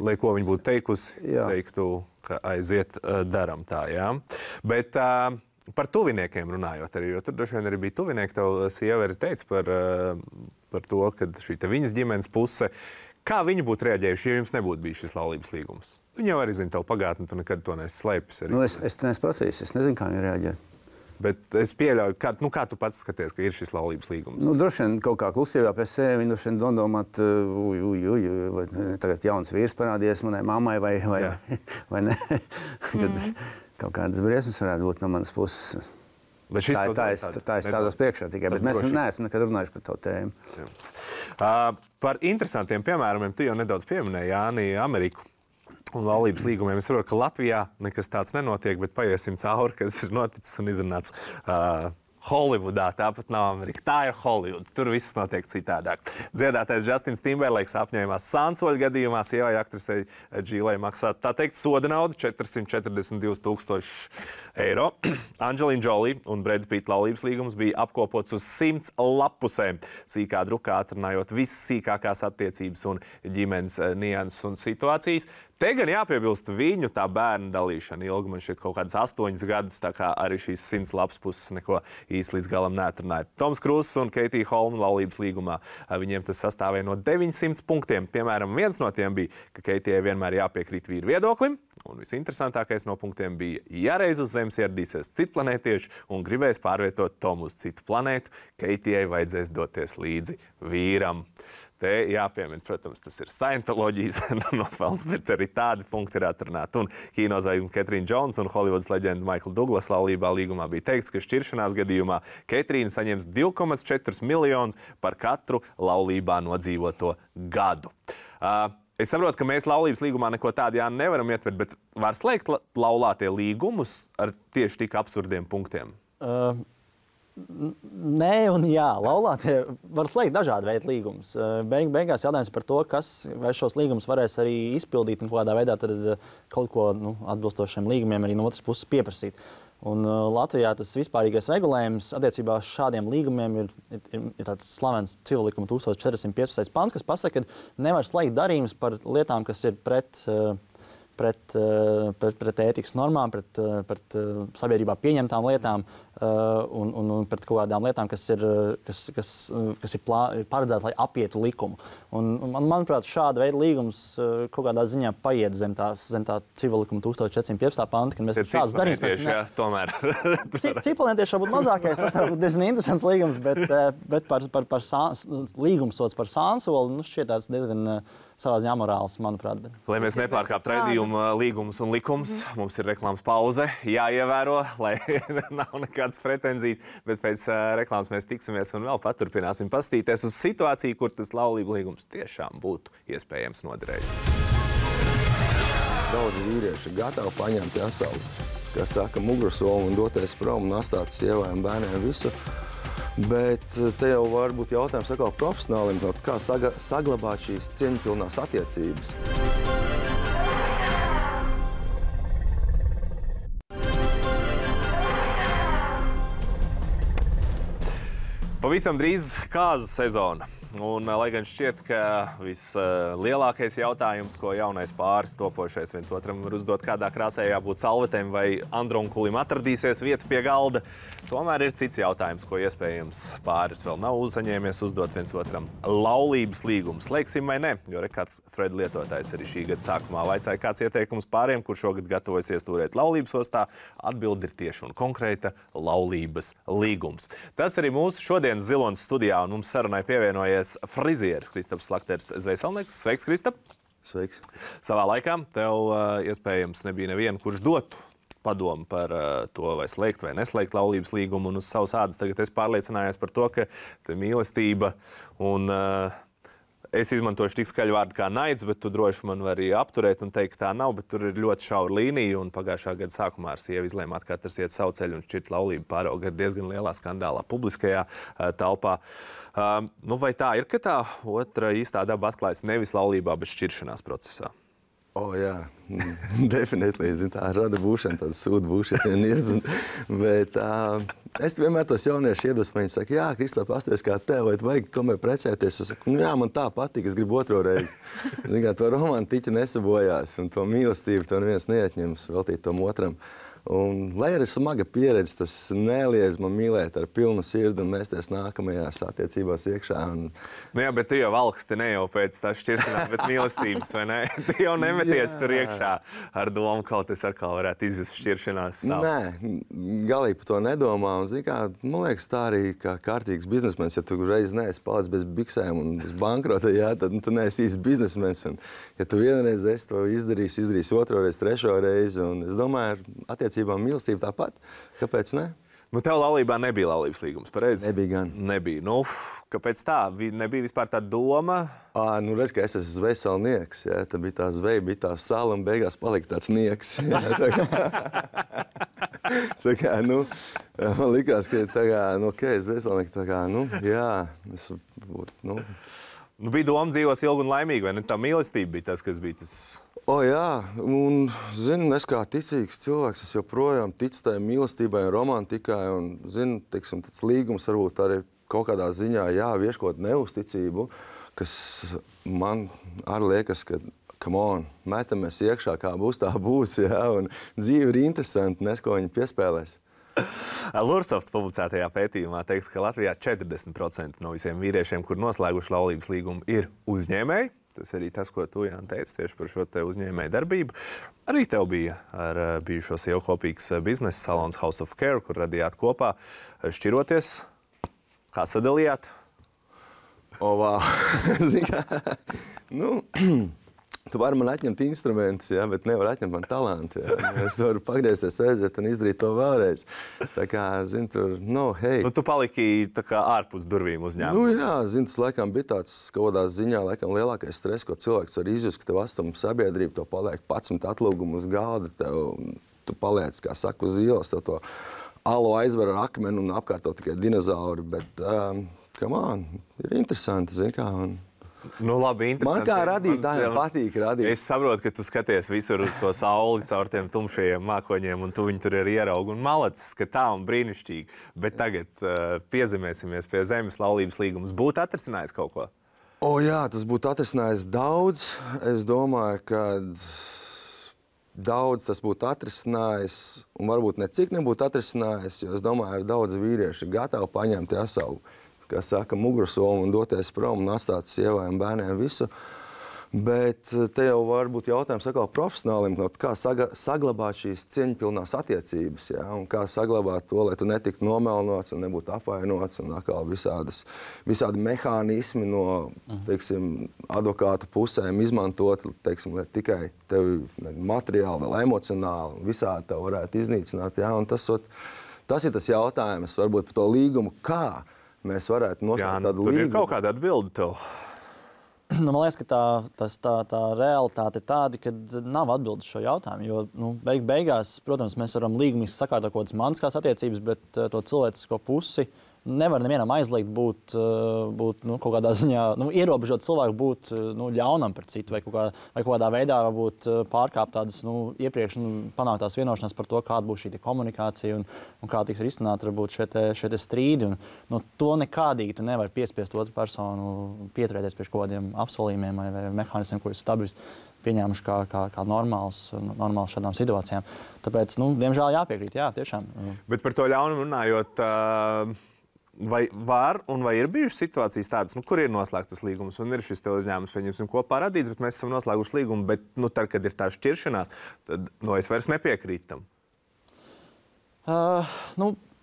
Lai ko viņa būtu teikusi, teiktu, ka aiziet, daram tā, jā. Bet par tuviniekiem runājot arī, jo tur droši vien arī bija tuvinieki, tev sieva arī teica par to, ka šī te viņas ģimenes puse, kā viņi būtu reaģējuši, ja jums nebūtu bijis šis laulības līgums? Viņi jau arī zina tavu pagātni, tu nekad to neesi slēpis. Es neesmu prasījis, es nezinu, kā viņi reaģē. Bet es pieļauju, kā tu pats skaties, ka ir šis laulības līgums? Droši vien kaut kā klusībā pie sevi, viņi droši vien domāt, vai tagad jauns vīrs parādījies manai mammai vai ne. Kad kaut kādas briesmas varētu būt no manas puses. Tā es stādos priekšā tikai, bet mēs neesam nekad runājuši par to tēmu. Par interesantiem piemērumiem tu jau nedaudz pieminēji, Jāni, Ameriku. Un laulības līgumiem es saprotu, ka Latvijā nekas tāds nenotiek, bet paiesim cauri, kas ir noticis un izrunāts Holivudā. Tāpat nav Amerika. Tā ir Holivuda. Tur viss notiek citādāk. Dziedātais Justins Timberlakes apņēmās Sansoļa gadījumā sievai aktrisei Džīlai maksāt, tā teikt, soda naudu 442,000 eiro. Angelina Jolie un Brad Pitt laulības līgums bija apkopots uz 100 lapusēm. Sīkā drukā atrunājot visas sīkākās attiecības un ģimenes nianses un situācijas. Te gan jāpiebilst viņu tā bērnu dalīšana ilgi, man šķiet kaut kādas 8 gadus, tā kā arī šīs 100 lapas puses neko īsti līdz galam neatrunāja. Toms Kruss un Keitija Holma laulības līgumā, viņiem tas sastāvēja no 900 punktiem. Piemēram, viens no tiem bija, ka Keitijai vienmēr jāpiekrīt vīru viedoklim, un visinteresantākais no punktiem bija, ja reiz uz Zemes ieradīsies citplanētieši un gribēs pārvietot Tomu uz citu planētu, Keitijai vajadzēs doties līdzi vīram. Te jāpiemina, protams, tas ir Scientoloģijas nofels, bet arī tādi punkti ir atrunāti. Un kinozvaigzne Ketrīna Džons un Holivudas leģenda Maikla Duglas laulībā līgumā bija teikts, ka šķiršanās gadījumā Ketrīna saņems 2,4 miljonus par katru laulībā nodzīvoto gadu. Es saprotu, ka mēs laulības līgumā neko tādu nevaram ietvert, bet var slēgt laulātie līgumus ar tieši tik absurdiem punktiem? Nē un jā, laulātie var slēgt dažādu veidu līgumus. Beigās jautājums par to, vai šos līgumus varēs arī izpildīt un kādā veidā tad kaut ko atbilstošiem līgumiem arī no otras puses pieprasīt. Un Latvijā tas vispārīgais regulējums attiecībā uz šādiem līgumiem ir tāds slavens civillikuma 1415. pants, kas pasaka, ka nevar slēgt darījumus par lietām, kas ir pret ētikas normām, pret sabiedrībā pieņemtām lietām un pret kaut kādām lietām, kas ir paredzēts, lai apietu likumu. Manuprāt, šāda veida līgums kaut kādā ziņā paiet zem tā civillikuma 1415. panta, kad mēs šādas darījumus... Cipelnietieši varbūt mazākais, tas var būt diezgan interesants līgums, bet par līgumsots par sānsoli, šķiet tāds diezgan savā ziņā amorāls, manuprāt. Lai mēs nepārkāptu raidījuma līgumus un likums, mums ir reklāmas pauze jāievēro, lai nav nekādas pretenzijas, bet pēc reklāmas mēs tiksimies un vēl paturpināsim pastīties uz situāciju, kur tas laulību līgums tiešām būtu iespējams noderējis. Daudz vīrieši gatavi paņemt jasauli, kā saka, mugursolu un doties prom un atstāt sievai un bērniem visu. Bet te jau var būt jautājums atkal profesionālim, kā saglabāt šīs cieņpilnās attiecības. Pavisam drīz kāzu sezona. Un, lai gan šķiet, ka vislielākais jautājums, ko jaunais pāris topošais viens otram var uzdot, kādā krāsē jābūt salvetēm vai andronkulim atradīsies vieta pie galda, tomēr ir cits jautājums, ko iespējams pāris vēl nav uzsaņēmies uzdot viens otram. Laulības līgums. Slēgsim vai ne? Jo kāds thread lietotājs arī šī gada sākumā vaicāja, kāds ieteikums pāriem, kur šogad gatavojas iestūrēt laulības ostā. Atbilde ir tieši un konkrēta laulības līgums. Tas arī mūsu šodienas Zilonas studijā, un mums sarunai pievienojies frizieris Kristaps Slakters Zvejselnieks. Sveiks, Kristap! Sveiks! Savā laikā tev iespējams nebija neviena, kurš dotu padomu par to, vai slēgt vai neslēgt laulības līgumu, un uz savas ādas tagad es pārliecinājos par to, ka mīlestība un es izmantošu tik skaļu vārdu kā naids, bet tu droši man vari apturēt un teikt, ka tā nav, bet tur ir ļoti šaura līnija, un pagājušā gada sākumā ar sievu izlēmāt, ka katrs iet savu ceļu un šķirt laulību pārauga ar diezgan lielā skandālā publiskajā telpā. Vai tā ir, ka tā otra īstā daba atklājas nevis laulībā, bet šķiršanās procesā? Jā, definitīvi, tā rada būšana, tāda sūda būšana ir. Bet es vienmēr tos jaunieši iedvesmu, viņi saka, jā, Kristap, pasties kā tev, vai tu vajag tomēr precēties? Es saku, jā, man tā patīk, es gribu otro reizi. To romantiķi nesabojās, un to mīlestību to neviens neatņems veltīt tom otram. Un, lai arī smaga pieredze, tas neliedz man mīlēt ar pilnu sirdi un mēsties nākamajās attiecībās iekšā. Jā, bet tu jau valksti ne jau pēc tā šķiršanās, bet mīlestības, vai ne? Tu jau nemeties tur iekšā ar domu, kaut es atkal varētu izjust šķiršanās savu. Nē, galīgi par to nedomā. Un, zin kā, man liekas, tā arī kā kārtīgs biznesmens, ja tu reiz neesi palicis bez biksēm un bez bankrota, tad tu neesi īsts biznesmens. Un, ja tu vienreiz esi to izdarījis otro reizi, trešo reizi. Un es domāju, mīlestība tāpat. Kāpēc ne? Tev laulībā nebija laulības līgums, pareizi? Nebija gan. Nebija. Kāpēc tā? Nebija vispār tā doma? Redz, ka es esmu zvejselnieks. Tad bija tā zveja, bija tā sala un beigās palika tāds nieks. Man likās, ka zvejselnieki bija doma dzīvos ilgi un laimīgi, vai ne? Tā mīlestība bija tas, kas bija tas... Jā, un, es kā ticīgs cilvēks, es joprojām ticu tai mīlestībai un romantikai, un, tāds līgums varbūt arī kaut kādā ziņā, vieškot neuzticību, kas man arī liekas, ka come on, metamies iekšā, kā būs, tā būs, jā, un dzīve ir interesanti, nes, ko viņi piespēlēs. Lursoft publicētajā pētījumā teiks, ka Latvijā 40% no visiem vīriešiem, kur noslēguši laulības līgumu, ir uzņēmēji. Tas arī tas, ko tu, Jāni, teici tieši par šo te uzņēmēju darbību. Arī tev bija ar bijušo sievu kopīgs biznesa salons House of Care, kur radījāt kopā. Šķiroties, kā sadalījāt? Wow. Tu vari man atņemt instrumentus, jā, bet nevar atņemt man talantu. Jā. Es varu pagriezties, aiziet un izdarīt to vēlreiz. Tā kā, tur, tu paliki tā kā ārpus durvīm uzņēmumu. Jā, tas laikam bija tāds kaut kādā ziņā laikam lielākais stress, ko cilvēks var izjust, ka tev astum sabiedrība, tev paliek 11 atlūgumu uz galda, tu paliec, kā saka, uz ielas, tev to alu aizver ar akmeni un apkārt tev tikai dinozauri, bet, come on, ir interesanti, zini kā, un... Labi, interesanti. Man kā radītājiem patīk radīt. Es saprotu, ka tu skaties visur uz to sauli caur tiem tumšajiem mākoņiem, un tu viņu tur ir ieraugi un malacis, ka tā un brīnišķīgi. Bet tagad piezemēsimies pie zemes, laulības līgums. Būtu atrisinājis kaut ko? Jā, tas būtu atrisinājis daudz. Es domāju, ka daudz tas būtu atrisinājis, un varbūt ne cik nebūtu atrisinājis, jo es domāju, ir daudz vīrieši gatavi paņemt savu, kā saka, mugursomu un doties prom un atstāt sievai un bērniem visu. Bet te jau var būt jautājums atkal profesionālim, kā saglabāt šīs cieņpilnās attiecības, jā, un kā saglabāt to, lai tu netiktu nomelnots un nebūtu apvainots, un atkal visādi mehānismi no, teiksim, advokāta pusēm izmantot, teiksim, lai tikai tevi materiāli, vēl emocionāli, visādi tev varētu iznīcināt, jā, un tas ir tas jautājums, varbūt par to līgumu, kā mēs varētu noslēgt tādu līgumu. Tur ir kaut kāda atbilde tev. Man liekas, ka tā realitāte ir tāda, ka nav atbildes šo jautājumu, jo beigās, protams, mēs varam līgumiski sakārtot kaut kādas mantiskās attiecības, bet to cilvēcisko pusi nevar nevienam aizliegt būt kaut kādā ziņā, ierobežot cilvēku būt ļaunam par citu vai kaut kādā veidā varbūt pārkāpt tādas iepriekš panāktās vienošanās par to, kāda būs šī komunikācija un kā tiks risināt varbūt šie strīdi. To nekādīgi tu nevari piespiest otru personu pieturēties pie kaut kādiem apsolījumiem vai mehānismiem, kurus stabiļus pieņēmuši kā normāls šādām situācijām. Tāpēc, diemžēl jāpiekrīt, jā, tiešām. Bet par to ļaunumu runājot, vai ir bijušas situācijas tādas, kur ir noslēgts tas līgums un ir šis te uzņēmums, pieņemsim, kopā radīts, bet mēs esam noslēguši līgumu, bet tad, kad ir tā šķiršanās, tad es vairs nepiekrītu tam.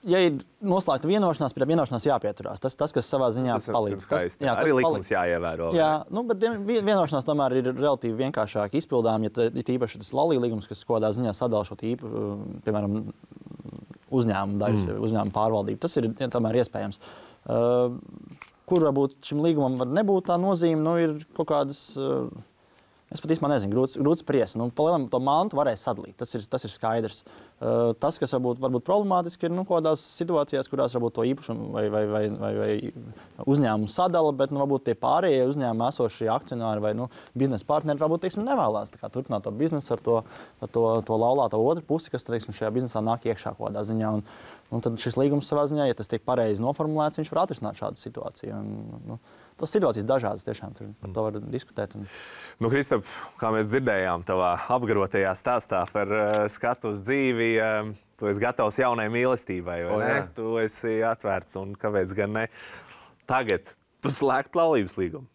Ja ir noslēgta vienošanās, pie vienošanās jāpieturās. Tas, kas savā ziņā palīdz. Arī likums jāievēro. Jā, bet vienošanās tomēr ir relatīvi vienkāršāk izpildām, ja tīpaši tas laulība līgums, kas kādā ziņā sadala šo piemēram, uzņēmumu pārvaldību. Tas ir tomēr iespējams. Kur varbūt šim līgumam var nebūt tā nozīme, ir kaut kādas... Es pat īstenībā nezinu, grūti spriest. Palielam to mantu varēs sadalīt, tas ir skaidrs. Tas, kas varbūt problemātiski, ir kādās situācijās, kurās varbūt to īpašumu vai uzņēmumu sadala, bet varbūt tie pārējie uzņēmumi esošie akcionāri vai biznesa partneri varbūt nevēlās turpināt to biznesu ar to laulāto otru pusi, kas šajā biznesā nāk iekšā kādā ziņā. Un tad šis līgums savā ziņā, ja tas tiek pareizi noformulēts, viņš var atrisināt šādu situāciju. Tas situācijas dažādas, tiešām par to var diskutēt. Kristap, kā mēs dzirdējām tavā apgarotajā stāstā par skatu uz dzīvi, tu esi gatavs jaunai mīlestībai, vai ne? Tu esi atvērts, un kāpēc gan ne? Tagad tu slēgt laulības līgumu?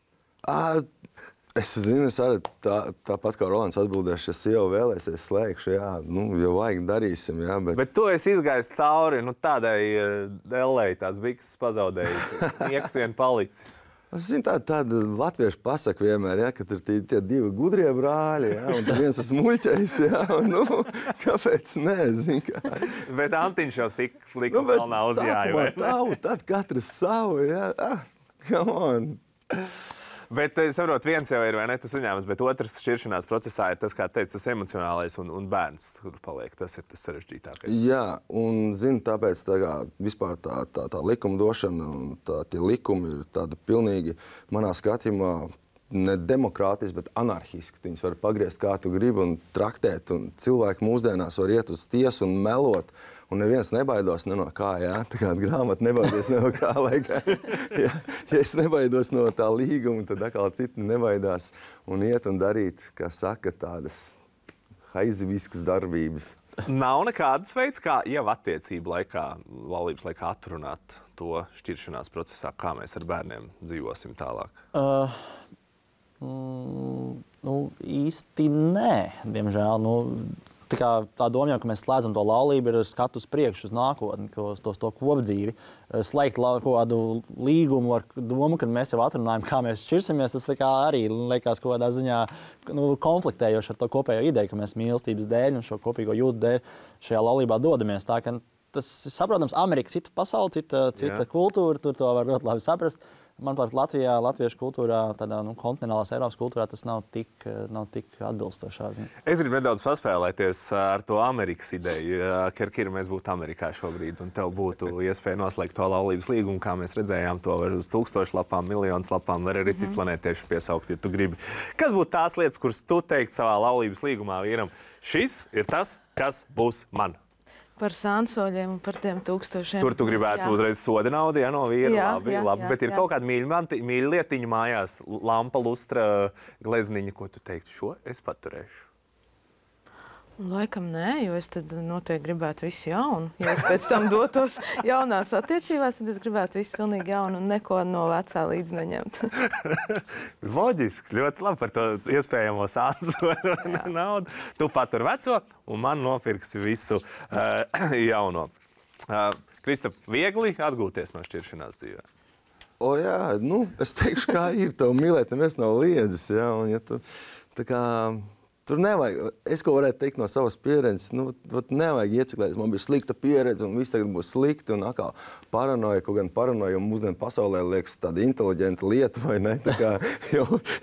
Es zinu, es arī tāpat kā Rolands atbildēšu, ja sieva vēlēsies slēgšu, jā, jau vajag darīsim, jā, bet... Bet tu esi izgājis cauri, tādai dellei, tās bikses pazaudēji, nieks vien palicis. Es zinu, tāda latviešu pasaka vienmēr, ja, ka tur tie divi gudrie brāļi, ja, un viens tas muļķais, ja, kāpēc nē, zinu, kā. Bet Antiņš jau lika kalnā uzjāja, vai ne? Tad katrs savu, ja, come on. Bet, saprot, viens jau ir, vai ne, tas uzņēmums, bet otrs šķiršanās procesā ir tas, kā teica, tas emocionālais un bērns, kur paliek. Tas ir tas sarežģītākais. Jā, un zinu, tāpēc vispār tā likumdošana un tie likumi ir tāda pilnīgi, manā skatījumā, ne demokrātiski, bet anarhiski. Viņus var pagriezt kā tu gribi un traktēt, un cilvēki mūsdienās var iet uz tiesu un melot Un neviens nebaidās ne no kā, jā. Tā kā grāmata nebaidies ne no kā, ja es nebaidos no tā līguma, tad atkal citi nebaidās un iet un darīt, kā saka, tādas haiziviskas darbības. Nav nekādas veids, kā jau attiecību laikā, laulības laikā atrunāt to šķiršanās procesā, kā mēs ar bērniem dzīvosim tālāk? Īsti nē, diemžēl. Tā doma jau, ka mēs slēdzam to laulību, ir skatu uz priekšu, uz nākotni, uz to kopdzīvi. Slēgt kādu līgumu ar domu, kad mēs jau atrunājam, kā mēs šķirsimies, tas arī liekas kaut kādā ziņā konfliktējoši ar to kopējo ideju, ka mēs mīlestības dēļ un šo kopīgo jūtu dēļ šajā laulībā dodamies. Tā, ka tas, saprotams, Amerika cita pasaule, cita kultūra, tur to var ļoti labi saprast. Manuprāt, latviešu kultūrā, tādā kontinentālās Eiropas kultūrā tas nav tik atbilstošā. Es gribu nedaudz paspēlēties ar to Amerikas ideju. Kirkir, mēs būtu Amerikā šobrīd, un tev būtu iespēja noslēgt to laulības līgumu, kā mēs redzējām to var uz 1000 lapām, miljonus lapām, var arī citu planētiešu piesaukt, ja tu gribi. Kas būtu tās lietas, kuras tu teikt savā laulības līgumā vīram? Šis ir tas, kas būs man. Par sānsoļiem un par tiem 1000. Tur tu gribētu uzreiz soda naudu, ja no vīra, labi, bet ir kaut kāda mīļa lietiņa mājās, lampa, lustra, glezniņa, ko tu teiktu, šo es paturēšu? Laikam nē, jo es tad noteikti gribētu visu jaunu. Ja es pēc tam dotos jaunās attiecībās, tad es gribētu visu pilnīgi jaunu un neko no vecā līdz neņemt. Loģiski, ļoti labi par to iespējamo sānsoļu naudu. Tu patur veco un man nopirksi visu jauno. Kristap, viegli atgūties no šķiršanās dzīvē? Jā, es teikšu, kā ir. Tev mīlēt neviens nav liedzis, jā, un ja tu tā kā... Tur nevajag, es ko varētu teikt no savas pieredzes, nevajag ieciklēties, man bija slikta pieredze un viss tagad būs slikti un atkal paranoja, kaut gan paranoja mūsdienu pasaulē liekas tāda inteliģenta lieta, vai ne, tā kā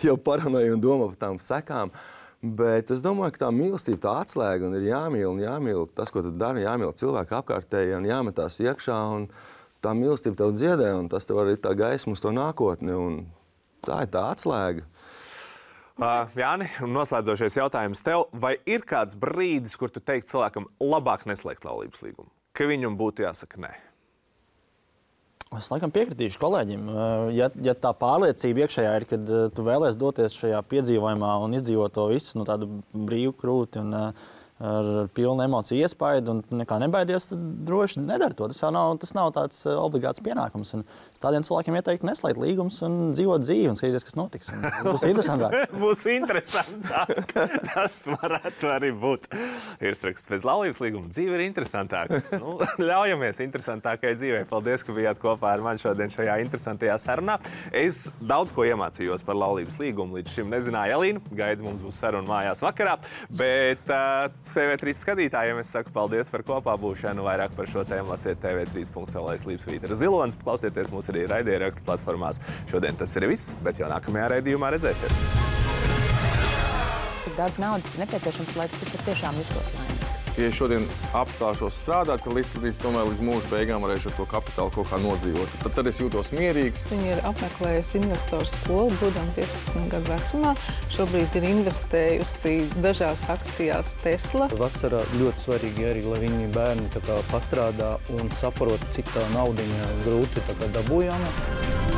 jau paranoja un domā par tām sekām, bet es domāju, ka tā mīlestība tā atslēga un ir jāmīl tas, ko tu dari, jāmīl cilvēku apkārtēji un jāmetās iekšā un tā mīlestība tev dziedē un tas tev arī tā gaisma uz to nākotni un tā ir tā atslēga. Jāni, noslēdzošais jautājums tev. Vai ir kāds brīdis, kur tu teikt cilvēkam labāk neslēgt laulības līgumu? Ka viņam būtu jāsaka nē? Es laikam piekritīšu kolēģim. Ja tā pārliecība iekšējā ir, kad tu vēlies doties šajā piedzīvojumā un izdzīvot to visu, tādu brīvu krūti un ar pilnu emociju iespaidu un nekā nebaidies, tad droši nedara to. Tas nav tāds obligāts pienākums. Un tādiem cilvēkiem ieteikti neslēgt līgumus un dzīvot dzīvi un skatīties, kas notiks. Un būs interesantāk. Būs interesantāk. Tas varētu arī būt. Virsraksts pēc laulības līguma. Dzīve ir interesantāka. Ļaujamies interesantākai dzīvei. Paldies, ka bijāt kopā ar mani šodien šajā interesantajā sarunā. Es daudz ko iemācījos par laulības līgumu. Līdz šim nezināju Elīnu. Gaida mums būs saruna mājās vakarā. Bet TV3 skatītājiem es saku paldies par kopā būšanu. Vairāk par šo tēmu lasiet tv3.lv/Vītera Zilonis. Klausieties mūs arī raidierakstu platformās. Šodien tas ir viss, bet jau nākamajā raidījumā redzēsiet. Cik daudz naudas ir nepieciešams, lai tu patiešām justos laimīgs? Ja es šodien apstāšos strādāt, tad līdz mūža beigām varēšu ar to kapitālu kaut kā nodzīvot. Tad es jūtos mierīgs. Viņi ir apmeklējusi investoru skolu, būdami 15 gadu vecumā. Šobrīd ir investējusi dažās akcijās Tesla. Vasarā ļoti svarīgi arī, lai viņi bērni pastrādā un saprot, cik tā naudiņa grūti dabūjama.